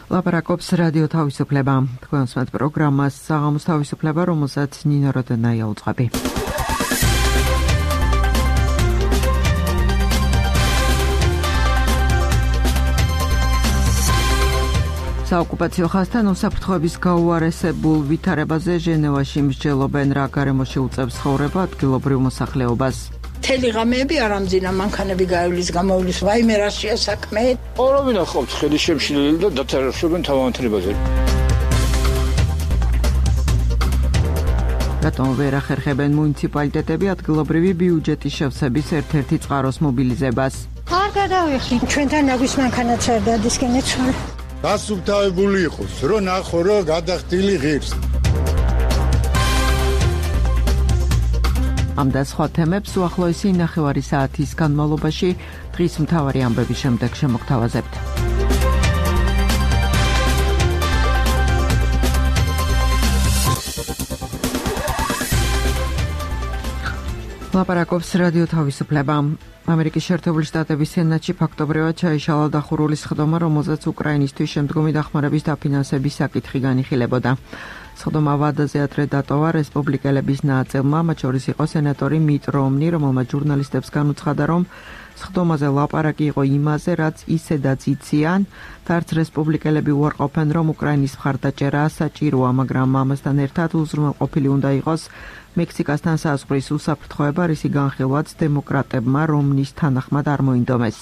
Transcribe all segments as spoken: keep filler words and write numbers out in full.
ლაპარაკობს რადიო თავისუფლება. თქვენ უსმენთ პროგრამას საღამოს თავისუფლება, რომელსაც ნინო როდენაია უძღვები. საოკუპაციო ხაზთან უსაფრთხოების გაუარესებულ ვითარებაზე ჟენევაში მსჯელობენ, რა გარემოში უწევს ცხოვრება ადგილობრივ მოსახლეობას. მთელი ღამეები არ ამძინა, მანქანები გაივლის, გამოვლის, ვაიმე რაშია საქმე. ორავინ ახავთ ხელი შემშლელი და დათარიღებენ თავანთრებაზე. რატომ ვერ ახერხებენ მუნიციპალიტეტები ადგილობრივი ბიუჯეტის შევსების ერთ-ერთი წყაროს მობილიზებას? არ გადავიხდი, ჩვენთან ნაგვის მანქანაც არ დადისკენეთ სულ. დასუფთავებული იყოს, რომ ნახო, რომ გადახდილი ღირს. ამ და სხვა თემებს უახლოესი ნახევარი საათის განმავლობაში დღის მთავარი ამბების შემდეგ შემოგთავაზებთ. ლაპარაკობს რადიო თავისუფლება. ამერიკის შეერთებული შტატების სენატში ფაქტობრივად ჩაიშალა დახურული სხდომა, რომელზეც უკრაინისთვის შემდგომი დახმარების დაფინანსების საკითხი განიხილებოდა. სხდომა ვადაზე ადრე დატოვა რესპუბლიკელების ნაწილმა, მათ შორის იყო სენატორი მიტ რომნი, რომელმაც ჟურნალისტებს განუცხადა, რომ სხდომაზე ლაპარაკი იყო იმაზე, რაც ისედაც იციან, და არც რესპუბლიკელები უარყოფენ, რომ უკრაინის მხარდაჭერა საჭიროა, მაგრამ ამასთან ერთად უზრუნველყოფილი უნდა იყოს მექსიკასთან საზღვრის უსაფრთხოება, რისი განხილვაც დემოკრატებმა რომნის თანახმად არ მოინდომეს.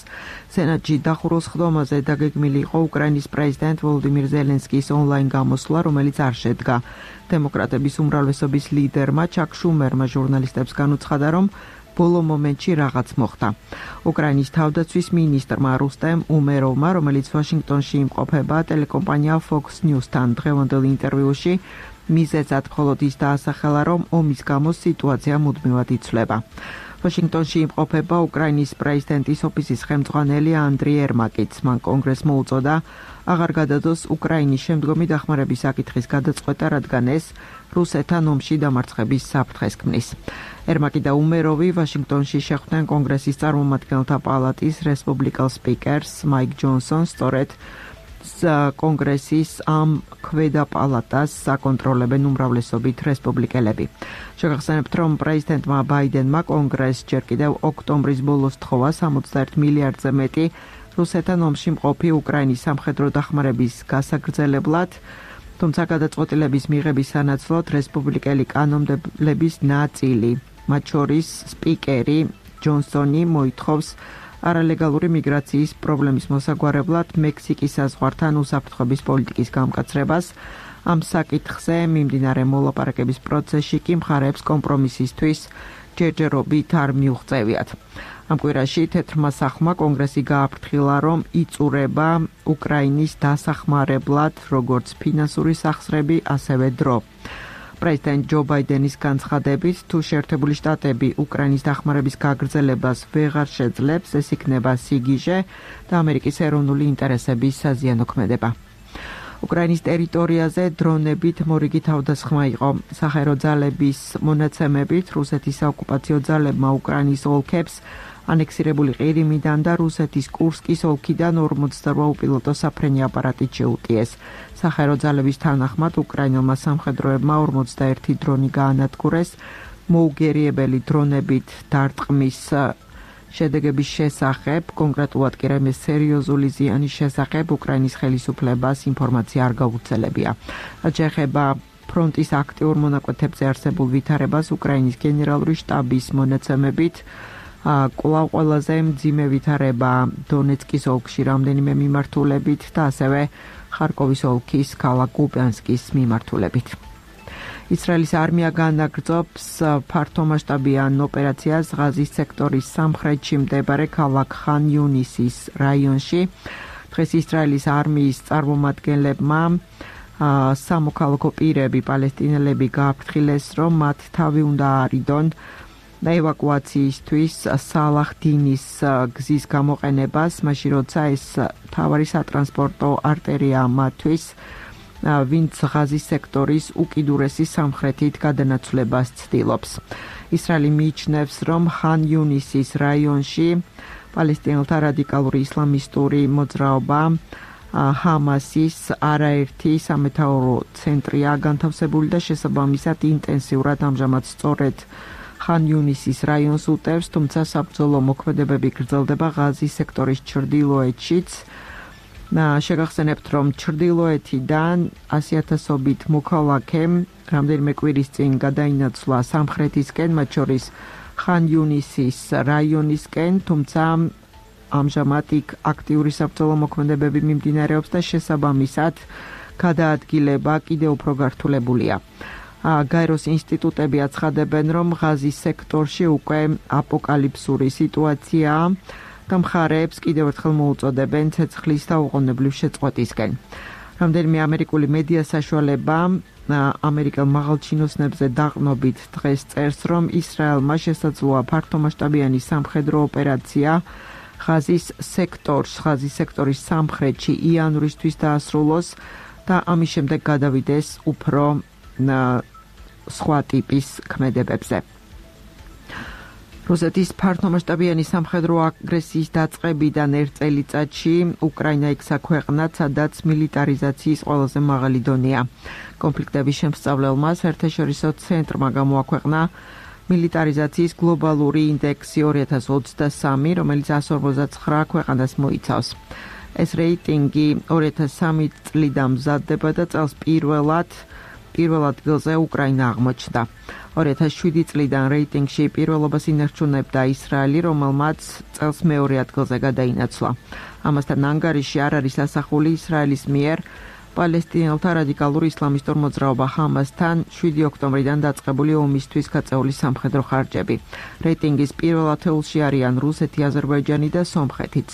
სენატში დახურულ სხდომაზე დაგეგმილი იყო უკრაინის პრეზიდენტ ვოლოდიმირ ზელენსკის ონლაინ გამოსვლა, რომელიც არ შედგა. დემოკრატების უმრავლესობის ლიდერმა ჩაკ შუმერმა ჟურნალისტებს განუცხადა, რომ ბოლო მომენტში რაღაც მოხდა. უკრაინის თავდაცვის მინისტრმა რუსტემ უმეროვმა, რომელიც ვაშინგტონში იმყოფება, ტელეკომპანია Fox News-თან დღევანდელ ინტერვიუში მიზეზად მხოლოდ ის დაასახელა, რომ ომის გამო სიტუაცია მუდმივად იცვლება. ვაშინგტონში იმყოფება უკრაინის პრეზიდენტის ოფისის ხელმძღვანელი ანდრი ერმაკიც. მან კონგრესს მოუწოდა აღარ გადადოს უკრაინის შემდგომი დახმარების საკითხის გადაწყვეტა, რადგან ეს რუსეთთან ომში დამარცხების საფრთხეს ქმნის. ერმაკი და უმეროვი ვაშინგტონში შეხვდნენ კონგრესის წარმომადგენელთა პალატის რესპუბლიკელ სპიკერს მაიკ ჯონსონს, სწორედ კონგრესის ამ ქვედა პალატას საკონტროლებენ უმრავლესობით რესპუბლიკელები. შეგახსენებთ, რომ პრეზიდენტმა ბაიდენმა კონგრესს ჯერ კიდევ ოქტომბრის ბოლოს თხოვა სამოცდაერთ მილიარდზე მეტი რუსეთთან ომში მყოფი უკრაინის სამხედრო დახმარების გასაგრძელებლად, თუმცა გადაწყვეტილების მიღების სანაცვლოდ რესპუბლიკელი კანონმდებლების ნაწილი, მათ შორის სპიკერი ჯონსონი მოითხოვს არალეგალური მიგრაციის პრობლემის მოსაგვარებლად მექსიკის საზღვართან უსაფრთხოების პოლიტიკის გამკაცრებას. ამ საკითხზე მიმდინარე მოლაპარაკების პროცესში კი მხარეებს კომპრომისისთვის ჯერჯერობით არ მიუღწევიათ. ამ კვირაში თეთრმა სახლმა კონგრესი გააფრთხილა, რომ იწურება უკრაინის დასახმარებლად როგორც ფინანსური სახსრები, ასევე დრო. პრეზიდენტ ჯო ბაიდენის განცხადებით, თუ შეერთებული შტატები უკრაინის დახმარების გაგრძელებას ვეღარ შეძლებს, ეს იქნება სიგიჟე და ამერიკის ეროვნული ინტერესების საზიანოქმედება. უკრაინის ტერიტორიაზე დრონებით მორიგი თავდასხმა იყო. საჰაერო ძალების მონაცემებით, რუსეთის საოკუპაციო ძალებმა უკრაინის ოლქებს ანექსირებული ყირიმიდან და რუსეთის კურსკის ოლქიდან ორმოცდარვა უპილოტო საფრენი აპარატით შეუტიეს. საჰაერო ძალების თანახმად უკრაინელმა სამხედროებმა ორმოცდაერთი დრონი გაანადგურეს. მოუგერიებელი დრონებით დარტყმის შედეგების შესახებ, კონკრეტულად კი რამე სერიოზული ზიანის შესახებ უკრაინის ხელისუფლებას ინფორმაცია არ გაუგრძელებია. რაც შეეხება ფრონტის აქტიურ მონაკვეთებზე არსებულ ვითარებას, უკრაინის გენერალური შტაბის მონაცემებით კვლავ ყველაზე მძიმე ვითარება დონეცკის ოლქში რამდენიმე მიმართულებით და ასევე ხარკოვის ოლქის ქალაქ კუპიანსკის მიმართულებით. ისრაელის არმია განაგრძობს ფართომასშტაბიან ოპერაციას ღაზის სექტორის სამხრეთში მდებარე ქალაქ ხან იუნისის რაიონში. დღეს ისრაელის არმიის წარმომადგენლებმა სამოქალაქო პირები პალესტინელები გააფრთხილეს, რომ მათ თავი უნდა არიდონ ევაკუაციისთვის სალაჰ-დინის გზის გამოყენებას, მაშინ როცა ეს მთავარი სატრანსპორტო არტერია მათთვის, ვინც ღაზის სექტორის უკიდურესი სამხრეთით გადანაცვლებას ცდილობს. ისრაელი მიიჩნევს, რომ ხან იუნისის რაიონში პალესტინელთა რადიკალური ისლამისტური მოძრაობა ჰამასის არაერთი სამეთაურო ცენტრია განთავსებული და შესაბამისად ინტენსიურად ამჟამად სწორედ ხან იუნისის რაიონს უტევს, თუმცა საბრძოლო მოქმედებები გრძელდება ღაზის სექტორის ჩრდილოეთშიც. შეგახსენებთ, რომ ჩრდილოეთიდან ასიათასობით მოქალაქე რამდენიმე კვირის წინ გადაინაცვლა სამხრეთისკენ, მათ შორის ხან იუნისის რაიონისკენ, თუმცა ამჟამად იქ აქტიური საბრძოლო მოქმედებები მიმდინარეობს და შესაბამისად გადაადგილება კიდევ უფრო გართულებულია. გაეროს ინსტიტუტები აცხადებენ, რომ ღაზის სექტორში უკვე აპოკალიფსური სიტუაციაა და მხარეებს კიდევ ერთხელ მოუწოდებენ ცეცხლის და უყოვნებლივ შეწყვეტისკენ. რამდენიმე ამერიკული მედია საშუალება ამერიკელ მაღალჩინოსნებზე დაყრდნობით დღეს წერს, რომ ისრაელმა შესაძლოა ფართომასშტაბიანი სამხედრო ოპერაცია ღაზის სექტორს, ღაზის სექტორის სამხრეთში იანვრისთვის დაასრულოს და ამის შემდეგ გადავიდეს უფრო სხვა ტიპის ქმედებებზე. რუსეთის ფართომასშტაბიანი სამხედრო აგრესიის დაწყებიდან ერთ წელიწადში უკრაინა იქცა ქვეყნად, სადაც მილიტარიზაციის ყველაზე მაღალი დონეა. კონფლიქტების შემსწავლელმა საერთაშორისო ცენტრმა გამოაქვეყნა მილიტარიზაციის გლობალური ინდექსი ორი ათას ოცდასამი, რომელიც εκατს ორმოცდაცხრა ქვეყანას მოიცავს. ეს რეიტინგი ორი ათას სამი წლიდან მზადდება და წელს პირველად პირველ ადგილზე უკრაინა აღმოჩნდა. ორი ათას შვიდი წლიდან რეიტინგში პირველობას ინარჩუნებდა ისრაელი, რომელმაც წელს მეორე ადგილზე გადაინაცვლა. ამასთან ანგარიში არ არის ასახული ისრაელის მიერ პალესტინელთა რადიკალური ისლამისტურ მოძრაობა ჰამასთან შვიდი ოქტომბრიდან დაწყებული ომისთვის გაწეული სამხედრო ხარჯები. რეიტინგის პირველ ათეულში არიან რუსეთი, აზერბაიჯანი და სომხეთიც.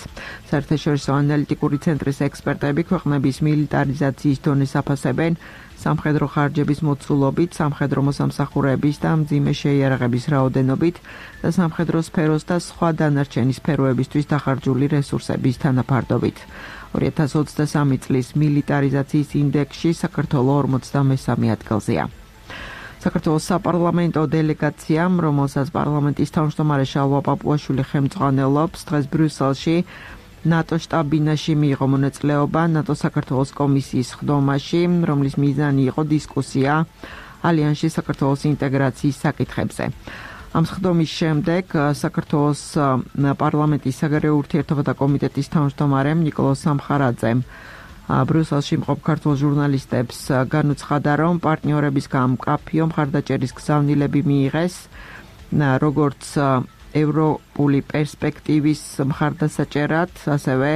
საერთაშორისო ანალიტიკური ცენტრის ექსპერტები ქვეყნების მილიტარიზაციის დონეს აფასებენ სამხედრო ხარჯების მოცულობით, სამხედრო მოსამსახურეების და მძიმე შეიარაღების რაოდენობით და სამხედრო სფეროს და სხვა დანარჩენი სფეროებისთვის დახარჯული რესურსების თანაფარდობით. ორი ათას ოცდასამი წლის მილიტარიზაციის ინდექსში საქართველო ორმოცდამესამე ადგილზეა. საქართველოს საპარლამენტო დელეგაციამ, რომელსაც პარლამენტის თავმჯდომარე შალვა პაპუაშვილი ხელმძღვანელობს, დღეს ბრიუსელში ნატო შტაბ-ბინაში მიიღო მონაწილეობა ნატო საქართველოს კომისიის ხდომაში, რომლის მიზანი იყო დისკუსია ალიანსში საქართველოს ინტეგრაციის საკითხებზე. ამ ხდომის შემდეგ საქართველოს პარლამენტის საგარეო ურთიერთობათა კომიტეტის თავმჯდომარემ ნიკოლოზ სამხარაძემ ბრიუსელში მყოფ ქართულ ჟურნალისტებს განუცხადა, რომ პარტნიორებისგან მკაფიო მხარდაჭერის გზავნილები მიიღეს, როგორც ევროპული პერსპექტივის მხარდასაჭერად, ასევე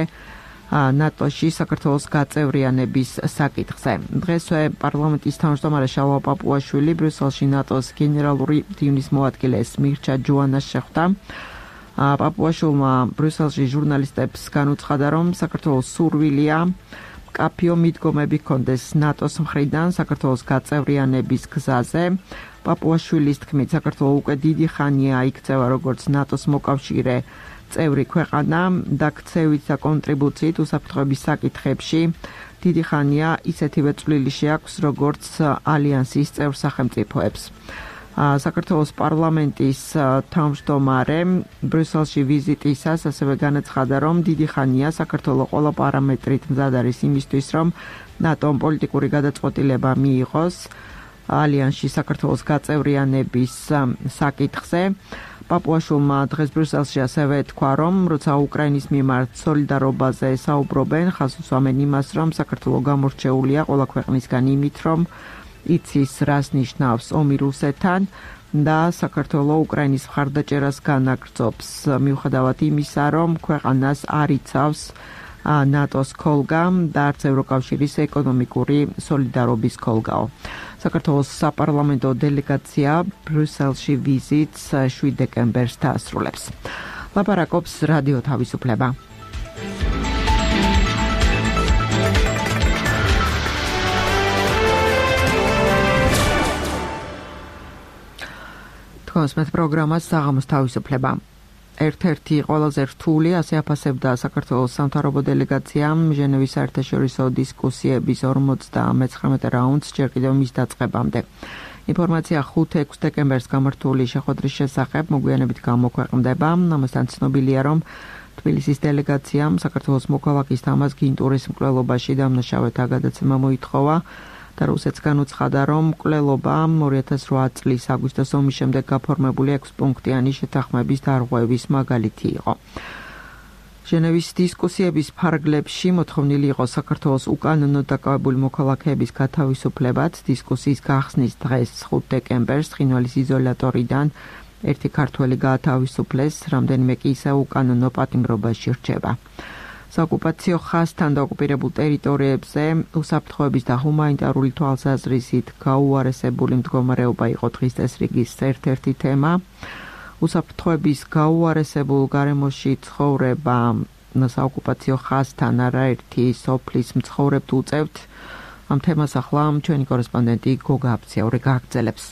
ნატოში საქართველოს გაწევრიანების საკითხზე. დღესვე პარლამენტის თავმჯდომარე შალვა პაპუაშვილი ბრიუსელში ნატოს გენერალური მდივნის მოადგილეს მირჩა ჯოანას შეხვდა. პაპუაშვილმა ბრიუსელში ჟურნალისტებს განუცხადა, რომ საქართველოს სურვილია მკაფიო მიდგომები ჰქონდეს ნატოს მხრიდან საქართველოს გაწევრიანების გზაზე. პაპუაშვილის თქმით, საქართველო უკვე დიდი ხანია იქცევა როგორც ნატოს მოკავშირე წევრი ქვეყანა და ქცევით და კონტრიბუციით უსაფრთხოების საკითხებში დიდი ხანია ისეთივე წვლილი შეაქვს, როგორც ალიანსის წევრ სახელმწიფოებს. საქართველოს პარლამენტის თავმჯდომარემ ბრიუსელში ვიზიტისას ასევე განაცხადა, რომ დიდი ხანია საქართველო ყველა პარამეტრით მზად არის იმისთვის, რომ ნატომ პოლიტიკური გადაწყვეტილება მიიღოს ალიანსში საქართველოს გაწევრიანების საკითხზე. პაპუაშვილმა დღეს ბრიუსელში ასევე თქვა, რომ როცა უკრაინის მიმართ სოლიდარობაზე საუბრობენ, ხაზს უსვამენ იმას, რომ საქართველო გამორჩეულია ყველა ქვეყნისგან იმით, რომ იცის რას ნიშნავს ომი რუსეთთან და საქართველო უკრაინის მხარდაჭერას განაგრძობს, მიუხედავად იმისა, რომ ქვეყანას არ იცავს ნატოს ქოლგა და არც ევროკავშირის ეკონომიკური სოლიდარობის ქოლგაო. საქართველოს საპარლამენტო დელეგაცია ბრიუსელში ვიზიტს შვიდ დეკემბერს დაასრულებს. ლაპარაკობს რადიო თავისუფლება. თქვენს მე პროგრამას საღამოს თავისუფლება. ერთ-ერთი ყველაზე რთული, ასე აფასებდა საქართველოს სამთავრობო დელეგაციამ ჟენევის საერთაშორისო დისკუსიების ორმოცდამეცხრამეტე რაუნდს ჯერ კიდევ მის დაწყებამდე. ინფორმაცია ხუთი-ექვსი დეკემბერს გამართული შეხვედრის შესახებ მოგვიანებით გამოქვეყნდება. ამასთან ცნობილია, რომ თბილისის დელეგაციამ საქართველოს მოქალაქის თამაზ გინტურის მკვლელობაში დამნაშავეთა გადაცემა მოითხოვა და რუსეთს განუცხადა, რომ მკვლელობა ორი ათას ოთხ წლის აგვისტოს ომის შემდეგ გაფორმებული ექვსპუნქტიანი შეთანხმების დარღვევის მაგალითი იყო. ჟენევის დისკუსიების ფარგლებში მოთხოვნილი იყო საქართველოს უკანონოდ დაკავებული მოქალაქეების გათავისუფლებაც. დისკუსიის გახსნის დღეს ხუთ დეკემბერს ცხინვალის იზოლატორიდან ერთი ქართველი გაათავისუფლეს, რამდენიმე კი ისევ უკანონო პატიმრობაში რჩება. საოკუპაციო ხაზთან დაოკუპირებულ ტერიტორიებზე უსაფრთხოების და ჰუმანიტარული თვალსაზრისით გაუარესებული მდგომარეობა იყო დღის წესრიგის ერთ-ერთი თემა. უსაფრთხოების გაუარესებულ გარემოში ცხოვრება საოკუპაციო ხაზთან არაერთი სოფლის მცხოვრებთ უწევთ. ამ თემას ახლა ჩვენი კორესპონდენტი გოგა აფციური გააგრძელებს.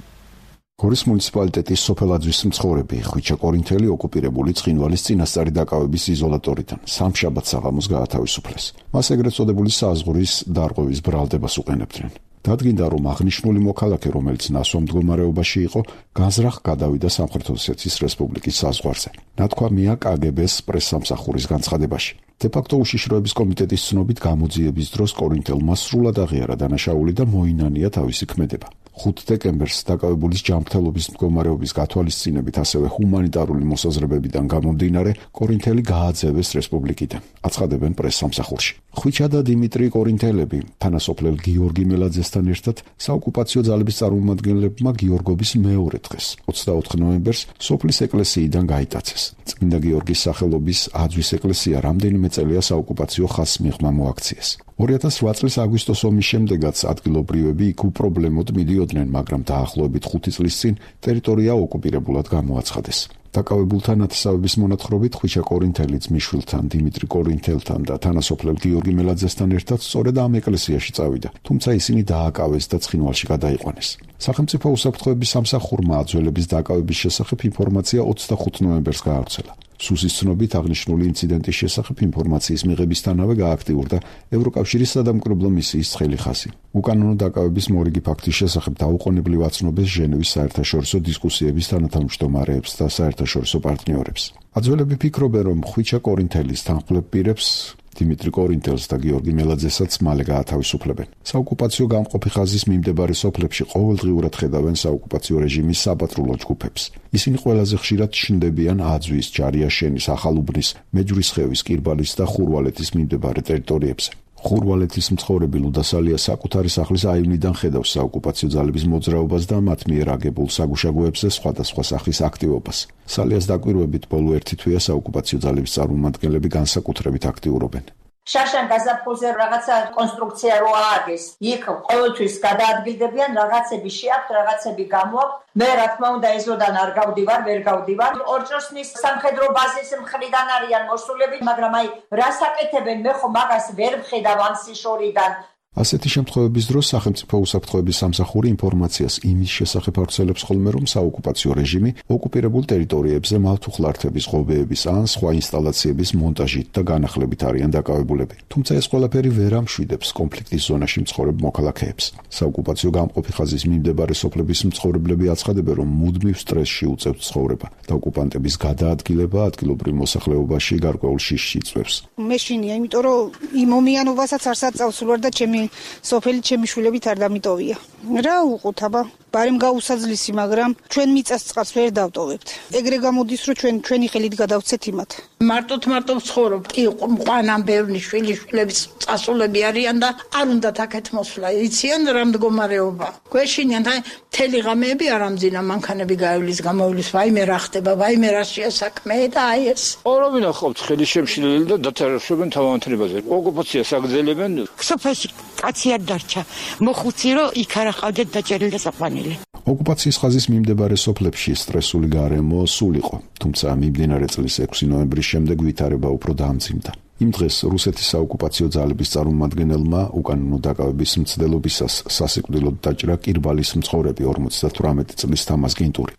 გორის მუნიციპალიტეტის სოფელაძვის მცხოვრები ხვიჩა კორინთელი ოკუპირებული ცხინვალის წინასწარი დაკავების იზოლატორიდან სამშაბათ საღამოს გაათავისუფლეს. მას ეგრეთ წოდებული საზღვრის დარღვევის ბრალდებას უყენებდნენ. დადგინდა, რომ აღნიშნული მოქალაქე, რომელიც ნასვამ მდგომარეობაში იყო, განზრახ გადავიდა სამხრეთ ოსეთის რესპუბლიკის საზღვარზე. ნათქვამია კაგებეს პრესსამსახურის განცხადებაში. დე-ფაქტო უშიშროების კომიტეტის ცნობით გამოძიების დროს კორინთელმა სრულად აღიარა დანაშაული და მოინანია თავისი ქმედება. ხუთ დეკემბერს დაკავებულის ჯანმრთელობის მდგომარეობის გათვალისწინებით, ასევე ჰუმანიტარული მოსაზრებებიდან გამომდინარე, კორინთელი გააძევეს რესპუბლიკიდან, აცხადებენ პრესსამსახურში. ხვიჩა და დიმიტრი კორინთელები თანასოფლელ გიორგი მელაძესთან ერთად საოკუპაციო ძალების წარმომადგენლებმა გიორგობის მეორე დღეს, ოცდაოთხ ნოემბერს, სოფლის ეკლესიიდან გაიტაცეს. წმინდა გიორგის სახელობის აძვის ეკლესია რამდენიმე წელია საოკუპაციო ხაზს მიღმა მოაქციეს. ორი ათას ოთხ წლის აგვისტოს ომის შემდეგაც ადგილობრივები იქ უპრობლემოდ მიდიოდნენ, მაგრამ დაახლოებით ხუთი წლის წინ ტერიტორია ოკუპირებულად გამოაცხადეს. დაკავებულთა ნათესავების მონათხრობით ხვიჩა კორინთელი ძმისშვილთან, დიმიტრი კორინთელთან და თანასოფლელ გიორგი მელაძესთან ერთად სწორედ ამ ეკლესიაში წავიდა, თუმცა ისინი დააკავეს და ცხინვალში გადაიყვანეს. სახელმწიფო უსაფრთხოების სამსახურმა აძველების დაკავების შესახებ ინფორმაცია ოცდახუთ ნოემბერს გაავრცელა. სუსის ცნობით აღნიშნული ინციდენტის შესახებ ინფორმაციის მიღებისთანავე გააქტიურდა ევროკავშირის სადამკვირვებლო მისიის ცხელი ხაზი. უკანონო დაკავების მორიგი ფაქტის შესახებ დაუყოვნებლივ აცნობეს ჟენევის საერთაშორისო დისკუსიების თანათავმჯდომარეებს და საერთაშორისო პარტნიორებს. აძველები ფიქრობენ, რომ ხვიჩა კორინთელის თანხმლებ პირებს დიმიტრი კორინთელს და გიორგი მელაძესაც მალე გაათავისუფლებენ. საოკუპაციო გამყოფი ხაზის მიმდებარე სოფლებში ყოველდღიურად ხედავენ საოკუპაციო რეჟიმის საპატრულო ჯგუფებს. ისინი ყველაზე ხშირად ჩნდებიან აძვის, ჯარიაშენის, ახალუბნის, მეჯვრისხევის, კირბალის და ხურვალეთის მიმდებარე ტერიტორიებზე. ხურვალეთის მცხოვრები ლუდა სალია საკუთარი სახლის აივნიდან ხედავს საოკუპაციო ძალების მოძრაობას და მათ მიერ აგებულ საგუშაგოებზე სხვადასხვა სახის აქტივობას. სალიას დაკვირვებით ბოლო ერთი თვეა საოკუპაციო ძალების წარმომადგენლები განსაკუთრებით აქტიურობენ. შაშან გაზაფხულზე რაღაცა კონსტრუქცია რო ააგეს, იქ ყოველთვის გადაადგილდებიან, რაღაცები შეაქვთ, რაღაცები გამოაქვთ. მე რა თქმა უნდა ეზოდან არ გავდივარ, ვერ გავდივარ. ორჭოსნის სამხედრო ბაზის მხრიდან არიან მოსულები, მაგრამ აი რას აკეთებენ, მე ხო მაგას ვერ ვხედავ ამ სიშორიდან. ასეთი შემთხვევების დროს სახელმწიფო უსაფრთხოების სამსახური ინფორმაციას იმის შესახებ ავრცელებს ხოლმე, რომ საოკუპაციო რეჟიმი ოკუპირებულ ტერიტორიებზე მავთუხლართების, ღობეების ან სხვა ინსტალაციების მონტაჟით და განახლებით არიან დაკავებულები. თუმცა ეს ყველაფერი ვერ ამშვიდებს კონფლიქტის ზონაში მცხოვრებ მოქალაქეებს. საოკუპაციო გამყოფი ხაზის მიმდებარე სოფლების მცხოვრებლები აცხადებენ, რომ მუდმივ სტრესში უწევთ ცხოვრება და ოკუპანტების გადაადგილება ადგილობრივ მოსახლეობაში გარკვეულ შიშს იწვევს. მეშინია, იმიტომ რომ იმ ომიანობასაც არ საწავს ვარ და ჩემი სოფელი ჩემი შვილებით არ დამიტოვია. რა უყოთ აბა, ბარემ გაუსაძლისი, მაგრამ ჩვენ მიწას წყალს ვერ დავტოვებთ. ეგრე გამოდის, რომ ჩვენ ჩვენი ხელით გადავცეთ იმათ. მარტოთ მარტო ვცხოვრობ. კი, ყვანან ბევრი შვილი შვილების წასულები არიან და არ უნდათ აქეთ მოსვლა. იციან რა მდგომარეობა. გვეშინიან და მთელი ღამეები არ ამძინა, მანქანები გაივლის, გამოვლის, ვაიმე რა ხდება, ვაიმე რა შეასაქმე და აი ეს. ორავინ ახავთ ხელი შემშლელი და დათარაშობენ თავანთრებაზე. ოკუპაციას აგრძელებენ. სოფელში კაცი არ დარჩა. მოხუცი რომ იქ არ ახავდეთ დაჭერილი და საყვანილი. ოკუპაციის ხაზის მიმდებარე სოფლებში სტრესული გარემო სულ იყო, თუმცა მიმდინარე წლის ექვსი ნოემბრის შემდეგ ვითარება უფრო დაამძიმდა. იმ დღეს რუსეთის საოკუპაციო ძალების წარმომადგენელმა უკანონო დაკავების მცდელობისას სასიკვდილოდ დაჭრა კირბალის მცხოვრები ორმოცდათვრამეტი წლის თამაზ გინტური.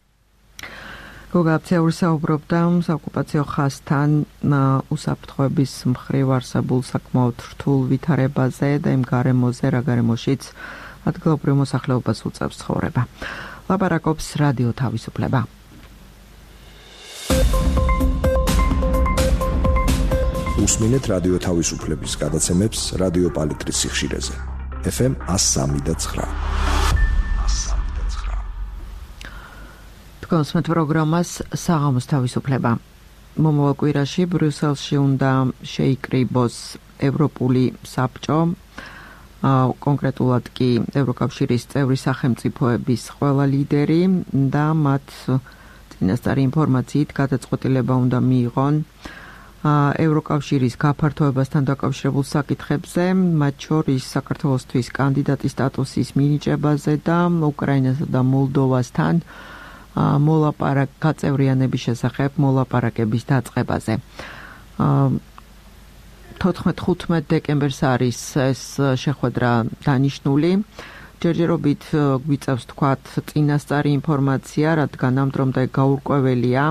გოგა აფციური საუბრობდა საოკუპაციო ხაზთან უსაფრთხოების მხრივ არსებულ საკმაოდ რთულ ვითარებაზე და იმ გარემოზე, რა გარემოშიც ადგილობრივ მოსახლეობას უწევს ცხოვრება. ლაპარაკობს რადიო თავისუფლება. უსმინეთ რადიო თავისუფლების გადაცემებს რადიო პალიტრის სიხშირეზე. ეფ ემ one oh three point nine. თქვენს პროგრამას საღამოს თავისუფლება. მომავალ კვირაში ბრიუსელში უნდა შეიკრიბოს ევროპული საბჭო, კონკრეტულად კი ევროკავშირის წევრი სახელმწიფოების ყველა ლიდერი და მათ წინასწარი ინფორმაციით გადაწყვეტილება უნდა მიიღონ ევროკავშირის გაფართოებასთან დაკავშირებულ საკითხებზე, მათ შორის საქართველოსთვის კანდიდატის სტატუსის მინიჭებაზე და უკრაინასა და მოლდოვასთან მოლაპარაკ გაწევრიანების შესახებ მოლაპარაკების დაწყებაზე. თოთხმეტ დეკემბერს არის ეს შეხვედრა დანიშნული. ჯერჯერობით გვიწევს თქვათ წინასწარი ინფორმაცია, რადგან ამ დრომდე გაურკვეველია.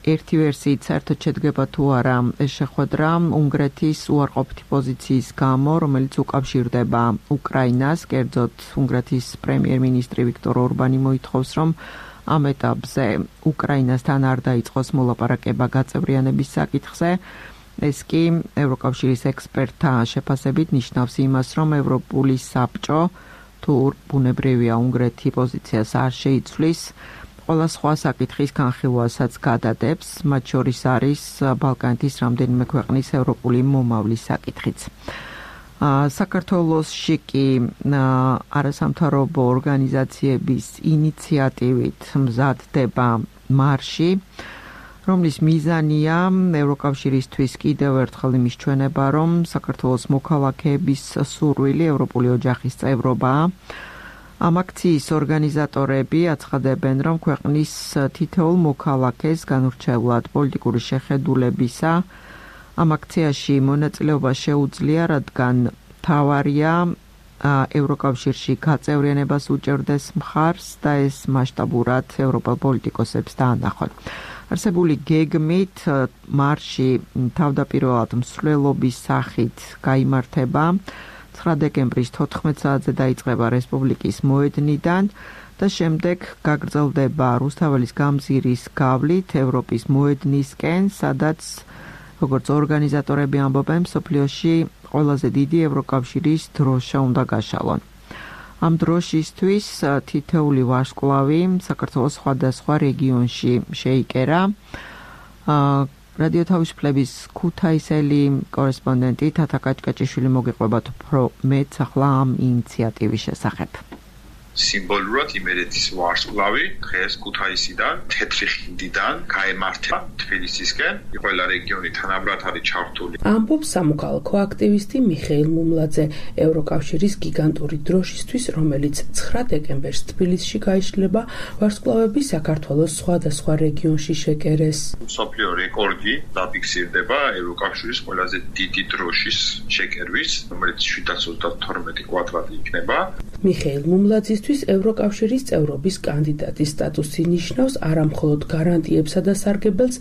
ერთი ვერსიით საერთოდ შედგება თუ არა ეს შეხვედრა უნგრეთის უარყოფითი პოზიციის გამო, რომელიც უკავშირდება უკრაინას, კერძოდ უნგრეთის პრემიერ-მინისტრი ვიქტორ ორბანი მოითხოვს, რომ ამ ეტაპზე უკრაინასთან არ დაიწყოს მოლაპარაკება გაწევრიანების საკითხზე. ეს კი ევროკავშირის ექსპერტთა შეფასებით ნიშნავს იმას, რომ ევროპული საბჭო თუ ბუნებრივია უნგრეთი პოზიციას არ შეიცვლის, ყველა სხვა საკითხის განხილვასაც გადადებს, მათ შორის არის ბალკანეთის რამდენიმე ქვეყნის ევროპული მომავლის საკითხიც. საქართველოსში კი არასამთავრობო ორგანიზაციების ინიციატივით მზადდება მარში, რომლის მიზანია ევროკავშირისთვის კიდევ ერთხელ იმის ჩვენება, რომ საქართველოს მოქალაქეების სურვილი ევროპული ოჯახის წევრობაა. ამ აქციის ორგანიზატორები აცხადებენ, რომ ქვეყნის თითოეულ მოქალაქეს განურჩევლად პოლიტიკური შეხედულებისა ამ აქციაში მონაწილეობა შეუძლია, რადგან მთავარია ევროკავშირში გაწევრიანებას უჭერდეს მხარს და ეს მასშტაბურად ევროპელ პოლიტიკოსებს დაანახონ. არსებული გეგმით მარში თავდაპირველად მსვლელობის სახით გაიმართება. ცხრა დეკემბრის თოთხმეტ საათზე დაიწყება რესპუბლიკის მოედნიდან და შემდეგ გაგრძელდება რუსთაველის გამზირის გავლით ევროპის მოედნისკენ, სადაც როგორც ორგანიზატორები ამბობენ, მსოფლიოში ყველაზე დიდი ევროკავშირის დროშა უნდა გაშალონ. ამ დროშისთვის თითეული ვარსკვლავი საქართველოს სხვადასხვა რეგიონში შეიკერა. რადიო თავისუფლების ქუთაისელი კორესპონდენტი თათა კაჭკაჭიშვილი მოგიყვებათ უფრო მეტ ახლა ამ ინიციატივის შესახებ. სიმბოლურად იმერეთის ვარსკვლავი დღეს ქუთაისიდან, თეთრი ხიდიდან გაემართება თბილისისკენ, ყველა რეგიონი თანაბრად არის ჩართული. ამბობს სამოქალაქო აქტივისტი მიხეილ მუმლაძე, ევროკავშირის გიგანტური დროშისთვის, რომელიც ცხრა დეკემბერს თბილისში გაიშლება, ვარსკვლავები საქართველოს სხვადასხვა რეგიონში შეკერეს. მსოფლიო რეკორდი დაფიქსირდება ევროკავშირის ყველაზე დიდი დროშის შეკერვის, რომელიც შვიდას ოცდათორმეტი კვადრატი იქნება. მიხეილ მუმლაძისთვის ევროკავშირის წევრობის კანდიდატის სტატუსი ნიშნავს არამხოლოდ გარანტიებსა და სარგებელს,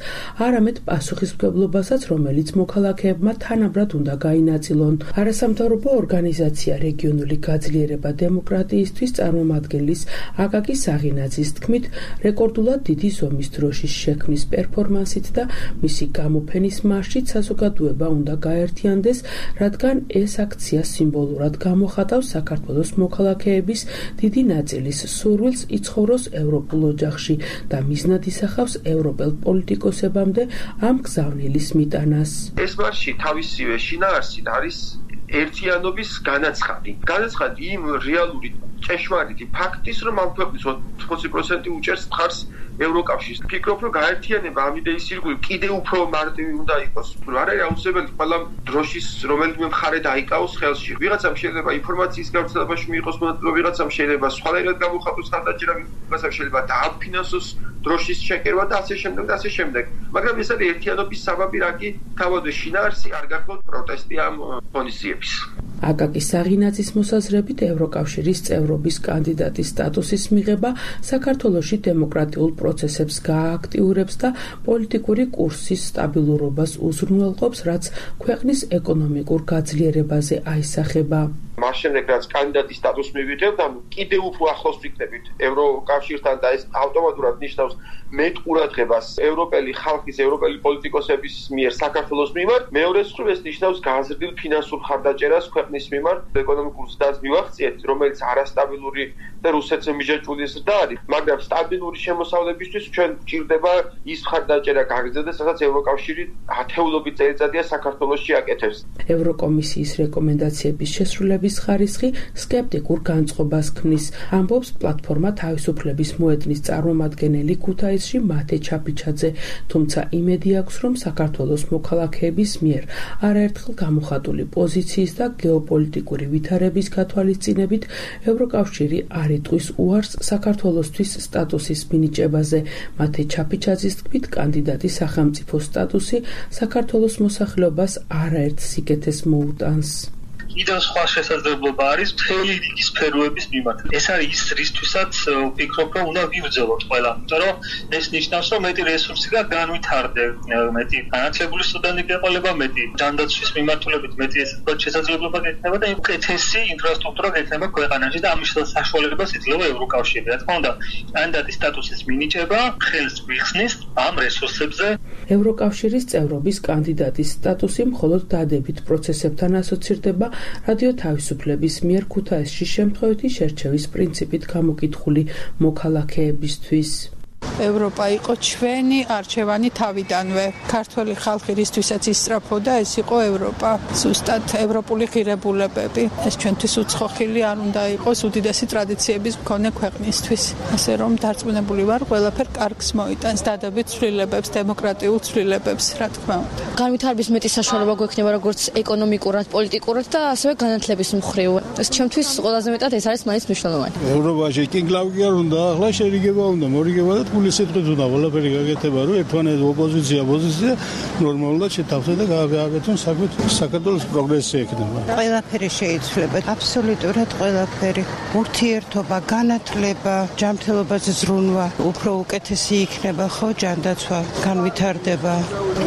არამედ პასუხისმგებლობასაც, რომელიც მოქალაქეებმა თანაბრად უნდა გაინაწილონ. არასამთავრობო ორგანიზაცია რეგიონული გაძლიერება დემოკრატიისთვის წარმომადგენლის აკაკი საღინაძის თქმით, რეკორდულად დიდი ზომის დროშის შექმნის პერფორმანსით და მისი გამოფენის მარშით საზოგადოება უნდა გაერთიანდეს, რადგან ეს აქცია სიმბოლურად გამოხატავს საქართველოს მოქალაქეების დიდი ნაწილის სურვილს იცხოვროს ევროპულ ოჯახში და მიზნად ისახავს ევროპელ პოლიტიკოსებამდე ამ გზავნილის მიტანას. ეს მარში თავისივე შინაარსით არის ერთიანობის განაცხადი. განაცხადი იმ რეალური ჭეშმარიტი ფაქტის, რომ ამ ქვეყნის ოთხმოცი პროცენტი უჭერს მხარს ევროკავშირს. ფიქრობ, რომ გაერთიანება ამ იდეის ირგვლივ კიდევ უფრო მარტივი უნდა იყოს. არ არის აუცილებელი ყველა დროშის რომელიმე მხარე დაიკავოს ხელში. ვიღაცამ შეიძლება ინფორმაციის გავრცელებაში მიიღოს მონაწილეობა, ვიღაცამ შეიძლება სხვადასხვა გამოხატოს ხარდაჭერა, ვიღაცამ შეიძლება დააფინანსოს დროშის შეკერვა და ასე შემდეგ და ასე შემდეგ. მაგრამ ეს არის ერთიანობის საბაბი, რა კი თავადვე შინაარსი არ გახლავთ პროტესტი ამ ღონისძიების. აკაკი საღინაძის მოსაზრებით ევროკავშირის წევრობის კანდიდატის სტატუსის მიღება საქართველოში დემოკრატიულ პროცესებს გააქტიურებს და პოლიტიკური კურსის სტაბილურობას უზრუნველყოფს, რაც ქვეყნის ეკონომიკურ გაძლიერებაზე აისახება. მას შემდეგ რაც კანდიდატის სტატუსს მივიღებთ, ანუ კიდევ უფრო ახლოს ვიქნებით ევროკავშირთან და ეს ავტომატურად ნიშნავს მეტ ყურადღებას ევროპელი ხალხის, ევროპელი პოლიტიკოსების მიერ საქართველოს მიმართ. მეორე მხრივ ეს ნიშნავს გაზრდილ ფინანსურ ხარდაჭერას ქვეყნის მიმართ, ეკონომიკურ ზრდას მივახციეთ, რომელიც არასტაბილური და რუსეთზე მიჯაჭვული ზრდა არის, მაგრამ სტაბილური შემოსავლებისთვის ჩვენ გვჭირდება ის ხარდაჭერა გაგრძელდეს, სადაც ევროკავშირი ათეულობით წელიწადია საქართველოში აკეთებს. ევროკომისიის რეკომენდაციების შესრულების ხარისხი სკეპტიკურ განწყობას ქმნის, ამბობს პლატფორმა თავისუფლების მოედნის წარმომადგენელი ქუთაისში მათე ჩაფიჩაძე, თუმცა იმედი აქვს, რომ საქართველოს მოქალაქეების მიერ არაერთხელ გამოხატული პოზიციის და გეოპოლიტიკური ვითარების გათვალისწინებით ევროკავშირი არ იტყვის უარს საქართველოსთვის სტატუსის მინიჭებაზე. მათე ჩაფიჩაძის თქმით, კანდიდატის სახელმწიფო სტატუსი საქართველოს მოსახლეობას არაერთ სიკეთეს მოუტანს. კიდევ სხვა შესაძლებლობა არის მთელი რიგი სფეროების მიმართ. ეს არის ის რისთვისაც ვფიქრობ, რომ უნდა ვივძელოთ ყველა, იმიტომ რომ ეს ნიშნავს, რომ მეტი რესურსი და განვითარდე, მეტი განათლებული სტუდენტი გეყოლება, მეტი ჯანდაცვის მიმართულებით მეტი შესაძლებლობა გექნება და უკეთესი ინფრასტრუქტურა გექნება ქვეყანაში და ამის საშუალებას იძლევა ევროკავშირი. რა თქმა უნდა, კანდიდატის სტატუსის მინიჭება ხელს გვიხსნის ამ რესურსებზე. ევროკავშირის წევრობის კანდიდატის სტატუსი მხოლოდ დადებით პროცესებთან ასოცირდება რადიო თავისუფლების მიერ ქუთაისში შემთხვევითი შერჩევის პრინციპით გამოკითხული მოქალაქეებისთვის. ევროპა იყო ჩვენი არჩევანი თავიდანვე. ქართველი ხალხი რისთვისაც ისწრაფოდა, ეს იყო ევროპა. ზუსტად ევროპული ღირებულებები. ეს ჩვენთვის უცხოხილი არ უნდა იყოს უდიდესი ტრადიციების მქონე ქვეყნისთვის. ასე რომ დარწმუნებული ვარ, ყველაფერ კარგს მოიტანს, დადებით ცვლილებებს, დემოკრატიულ ცვლილებებს, რა თქმა უნდა. განვითარების მეტი საშუალება გვექნება როგორც ეკონომიკურად, პოლიტიკურად და ასევე განათლების მხრივ. ეს ჩემთვის ყველაზე მეტად ეს არის მაინც მნიშვნელოვანი. ევროპაში კინგლავი არ უნდა, ახლა შერიგება უნდა, მორიგება და ფულის სიტყვით უნდა ყველაფერი გაკეთება, რომ ერთმანეთს ოპოზიცია, პოზიცია ნორმალურად შეთავსოს და გააკეთონ საქმე, საქართველოს პროგრესი ექნება. ყველაფერი შეიძლება, აბსოლუტურად ყველაფერი. ურთიერთობა, განათლება, ჯანმრთელობაზე ზრუნვა, უფრო უკეთესი იქნება, ხო, ჯანდაცვა, განვითარდება.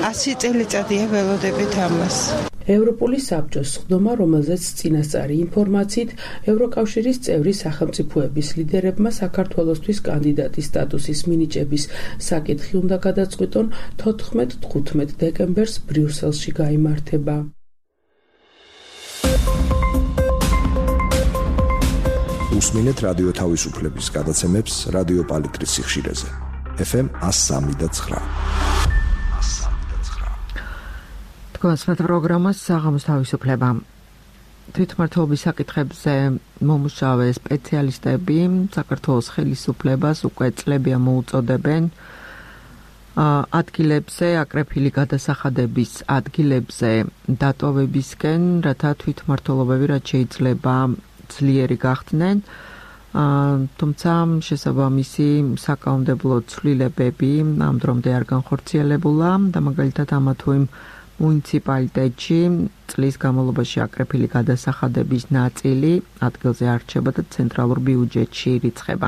ასი წელიწადია ველოდებით ამას. ევროპული საბჭოს სხდომა, რომელზეც წინასწარი ინფორმაციით ევროკავშირის წევრი სახელმწიფოების ლიდერებმა საქართველოსთვის კანდიდატის სტატუსის მინიჭების საკითხი უნდა გადაწყვიტონ თოთხმეტ-თხუთმეტ დეკემბერს ბრიუსელში გაიმართება. უსმინეთ რადიო თავისუფლების გადაცემებს რადიო პალიტრის სიხშირეზე. ეფ ემ one oh three point nine. თქვენს პროგრამას საღამოს თავისუფლება. თვითმმართველობის საკითხებზე მომუშავე სპეციალისტები საქართველოს ხელისუფლებას უკვე წლებია მოუწოდებენ ადგილებზე, აკრეფილი გადასახადების ადგილებზე დატოვებისკენ, რათა თვითმმართველობები რაც შეიძლება ძლიერი გახდნენ. თუმცა შესაბამისი საკანონმდებლო ცვლილებები ამ დრომდე არ განხორციელებულა და მაგალითად ამა თუ იმ მუნიციპალიტეტში წლის განმავლობაში აკრეფილი გადასახადების ნაწილი ადგილზე არ რჩება და ცენტრალურ ბიუჯეტში ირიცხება.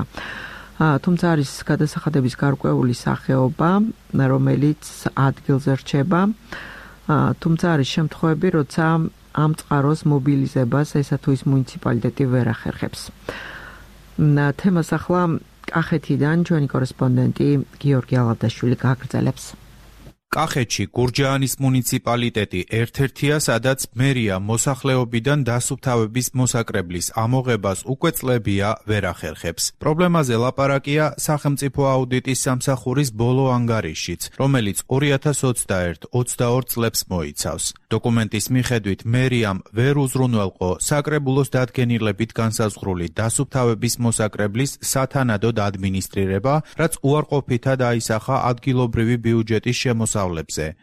თუმცა არის გადასახადების გარკვეული სახეობა, რომელიც ადგილზე რჩება. თუმცა არის შემთხვევები, როცა ამ წყაროს მობილიზებას ესა თუ ის მუნიციპალიტეტი ვერ ახერხებს. თემას ახლა კახეთიდან ჩვენი კორესპონდენტი გიორგი ალადაშვილი გააგრძელებს. კახეთში გურჯაანის მუნიციპალიტეტი ერთ-ერთია, სადაც მერია მოსახლეობიდან დასუფთავების მოსაკრებლის ამოღებას უკვე წლებია ვერ ახერხებს. პრობლემაზე ლაპარაკია სახელმწიფო აუდიტის სამსახურის ბოლო ანგარიშშიც, რომელიც ორი ათას ოცდაერთ ოცდაორ წლებს მოიცავს. დოკუმენტის მიხედვით მერიამ ვერ უზრუნველყო საკრებულოს დადგენილებით განსაზღვრული დასუფთავების მოსაკრებლის სათანადოდ ადმინისტრირება, რაც უარყოფითად აისახა ადგილობრივი ბიუჯეტის შემოსავლებზე.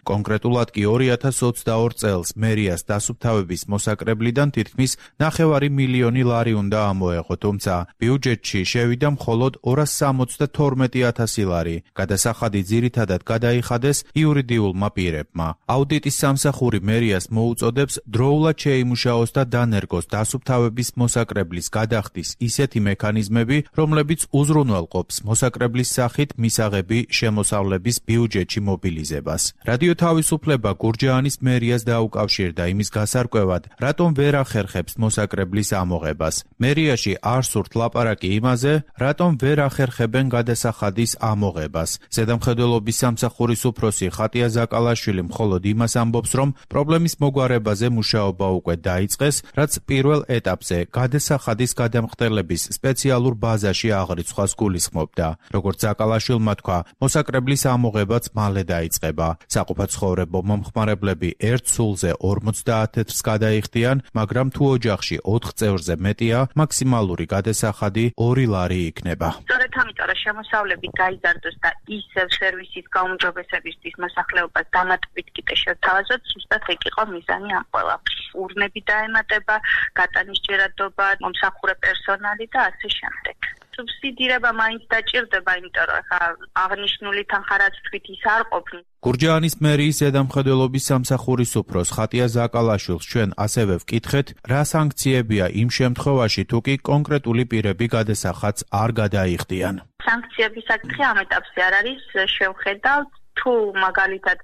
კონკრეტულად კი ორი ათას ოცდაორ წელს მერიას დასუფთავების მოსაკრებლიდან თითქმის ნახევარი მილიონი ლარი უნდა ამოეღო, თუმცა ბიუჯეტში შევიდა მხოლოდ ორას სამოცდათორმეტი ათასი ლარი. გადასახადი ძირითადად გადაიხადეს იურიდიულმა პირებმა. აუდიტის სამსახური მერიას მოუწოდებს დროულად შეიმუშაოს და დანერგოს დასუფთავების მოსაკრებლის გადახდის ისეთი მექანიზმები, რომლებიც უზრუნველყოფს მოსაკრებლის სახით მისაღები შემოსავლების ბიუჯეტში მობილიზებას. ამოღებას. რადიო თავისუფლება გურჯაანის მერიას დაუკავშირდა იმის გასარკვევად, რატომ ვერ ახერხებს მოსაკრებლის ამოღებას. მერიაში არ სურთ ლაპარაკი იმაზე, რატომ ვერ ახერხებენ გადასახადის ამოღებას. ზედამხედველობის სამსახურის უფროსი ხატია ზაკალაშვილი მხოლოდ იმას ამბობს, რომ პრობლემის მოგვარებაზე მუშაობა უკვე დაიწყეს, რაც პირველ ეტაპზე გადასახადის გადამხდელების სპეციალურ ბაზაში აღრიცხვას გულისხმობდა. როგორც ზაკალაშვილმა თქვა, მოსაკრებლის ამოღებაც მალე დაიწყება. საყოფაცხოვრებო მომხმარებლები ერთ სულზე ორმოცდაათს გადაიხდიან, მაგრამ თუ ოჯახში ოთხ წევრზე მეტია, მაქსიმალური გადასახადი ორი ლარი იქნება. სწორედ ამიტომ რა შემოსავლები გაიზარდოს და ისევ სერვისის გაუმჯობესებისთვის მოსახლეობას დამატებით კიდე შევთავაზოთ, ზუსტად ეგ იყო მიზანი ამ ყველაფრის. ურნები დაემატება, გატანის ჯერადობა, მომსახურე პერსონალი და ასე შემდეგ. სუბსიდირება მაინც დაჭირდება, იმიტომ რომ ხა აღნიშნული თანხარაც თქვით ის არ ყოფნის. გურჯაანის მერიის ზედამხედველობის სამსახურის უფროს ხატია ზაკალაშვილს ჩვენ ასევე ვკითხეთ, რა სანქციებია იმ შემთხვევაში, თუ კი კონკრეტული პირები გადასახადს არ გადაიხდიან. სანქციების საკითხი ამ ეტაპზე არ არის, შევხედავთ, თუ მაგალითად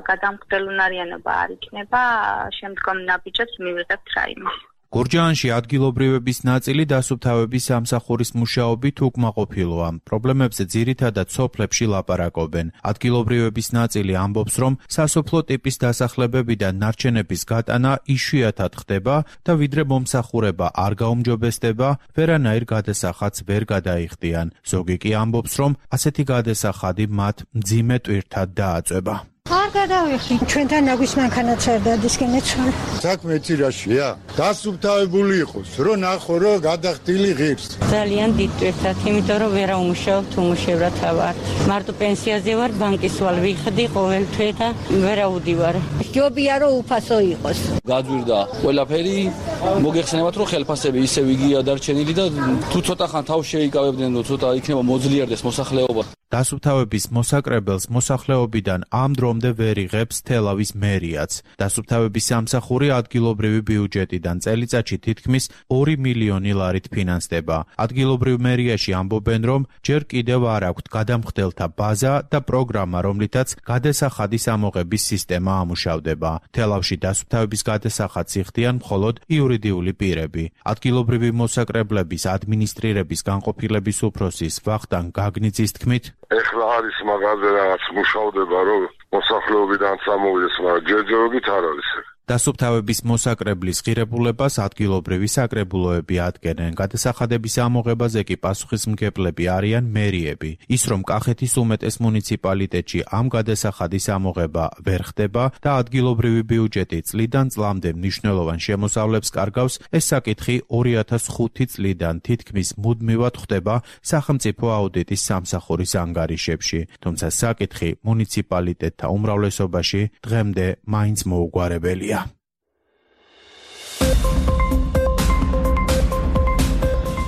გადამხდელუნარიანობა არ იქნება, შემდგომ ნაბიჯებს მივიღებთ რაიმე. გურჯაანში ადგილობრივების ნაწილი დასუფთავების სამსახურის მუშაობით უკმაყოფილოა. პრობლემებზე ძირითადად სოფლებში ლაპარაკობენ. ადგილობრივების ნაწილი ამბობს, რომ სასოფლო ტიპის დასახლებებიდან ნარჩენების გატანა იშვიათად ხდება და ვიდრე მომსახურება არ გაუმჯობესდება, ვერანაირ გადასახადს ვერ გადაიხდიან. ზოგი კი ამბობს, რომ ასეთი გადასახადი მათ მძიმე ტვირთად დააწვება. არ გადავიხდი. ჩვენთან ნაგვის მანქანაც არ დადისკენეცვალ. საქმე ცირაშია. დასუფთავებული იყოს, რომ ნახო, რომ გადახდილი ღირს. ძალიან დიდ ტვირთად, იმიტომ რომ ვერ აუმუშავებ, უმუშევრად ვარ. მარტო პენსიაზე ვარ, ბანკის ვალ ვიხდი ყოველთვე და ვერ აუდივარ. ჯობია რომ უფასო იყოს. გაძვირდა ყველაფერი, მოგეხსენებათ, რომ ხელფასები ისევ იგია დარჩენილი და თუ ცოტა ხან თავს შეიკავებდნენ, რომ ცოტა იქნება მოძლიერდეს მოსახლეობა. დასუფთავების მოსაკრებელს მოსახლეობიდან ამ დრომდე ვერ იღებს თელავის მერიაც. დასუფთავების სამსახური ადგილობრივი ბიუჯეტიდან წელიწადში თითქმის ორი მილიონი ლარით ფინანსდება. ადგილობრივ მერიაში ამბობენ, რომ ჯერ კიდევ არ აქვთ გადამხდელთა ბაზა და პროგრამა, რომლითაც გადასახადის ამოღების სისტემა ამუშავდება. თელავში დასუფთავების გადასახადს იხდიან მხოლოდ იურიდიული პირები. ადგილობრივი მოსაკრებლების ადმინისტრირების განყოფილების უფროსის ვახტანგ გაგნიძის თქმით, ეხლა არის მაგაზე რაღაც მუშავდება, რომ მოსახლეობიდან წამოვიდეს, მაგრამ ჯერჯერობით არ არის. დასუფთავების მოსაკრებლის ღირებულებას ადგილობრივი საკრებულოები ადგენენ. გადასახადების ამოღებაზე კი პასუხისმგებლები არიან მერიები. ის, რომ კახეთის უმეტეს მუნიციპალიტეტში ამ გადასახადის ამოღება ვერ ხდება და ადგილობრივი ბიუჯეტი წლიდან წლამდე მნიშვნელოვან შემოსავლებს კარგავს, ეს საკითხი ორი ათას ხუთი წლიდან თითქმის მუდმივად ხდება სახელმწიფო აუდიტის სამსახურის ანგარიშებში. თუმცა საკითხი მუნიციპალიტეტთა უმრავლესობაში დღემდე მაინც მოუგვარებელია.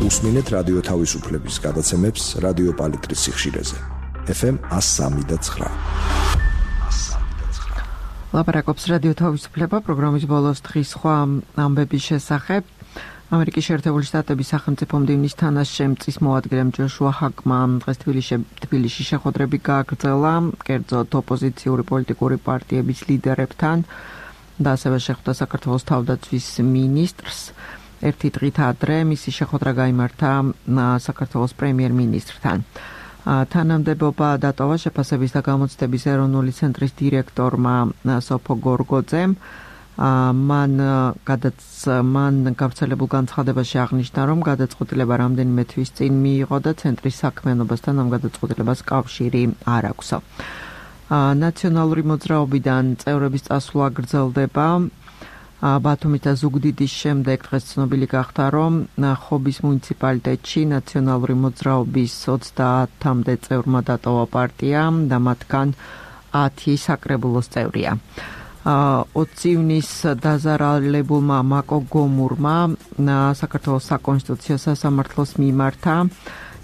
უსმინეთ რადიო თავისუფლების გადაცემებს რადიო პალიტრის სიხშირეზე. ეფ ემ one oh three point nine. ლაპარაკობს რადიო თავისუფლება პროგრამის ბოლოს დღის სხვა ამბების შესახებ. ამერიკის შეერთებული შტატების სახელმწიფო მდივნის თანაშემწის მოადგილემ ჯოშუა ჰაკმა დღეს თბილისში შეხვედრები გააგრძელა კერძოდ ოპოზიციური პოლიტიკური პარტიების ლიდერებთან და ასევე შეხვდა საქართველოს თავდაცვის მინისტრს. ერთი დღით ადრე მისი შეხვედრა გაიმართა საქართველოს პრემიერ-მინისტრთან. თანამდებობა დატოვა შეფასების და გამოცდების ეროვნული ცენტრის დირექტორმა სოფო გორგოძემ. მან გადაც მან გავრცელებულ განცხადებაში აღნიშნა, რომ გადაწყვეტილება რამდენიმე თვის წინ მიიღო და ცენტრის საქმიანობასთან ამ გადაწყვეტილებას კავშირი არ აქვს. ნაციონალური მოძრაობიდან წევრების წასვლა გრძელდება. ბათუმის და ზუგდიდის შემდეგ დღეს ცნობილი გახდა, რომ ხობის მუნიციპალიტეტში ნაციონალური მოძრაობის ოცდაათამდე წევრმა დატოვა პარტია და მათგან ათი საკრებულოს წევრია. ოცი ივნის დაზარალებულმა მაკო გომურმა საქართველოს საკონსტიტუციო სასამართლოს მიმართა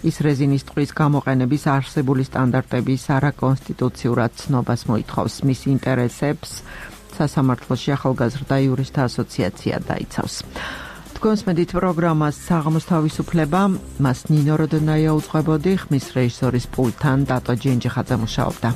ის რეზინის ტყვის გამოყენების არსებული სტანდარტების არაკონსტიტუციურად ცნობას მოითხოვს. მის ინტერესებს სასამართლოში ახალგაზრდა იურისტთა ასოციაცია დაიცავს. თქვენს მედით პროგრამას საღამოს თავისუფლება, მას ნინო როდონაია უძღვებოდი, ხმის რეჟისორის პულტთან დატო ჯენჯიხაძე მუშაობდა.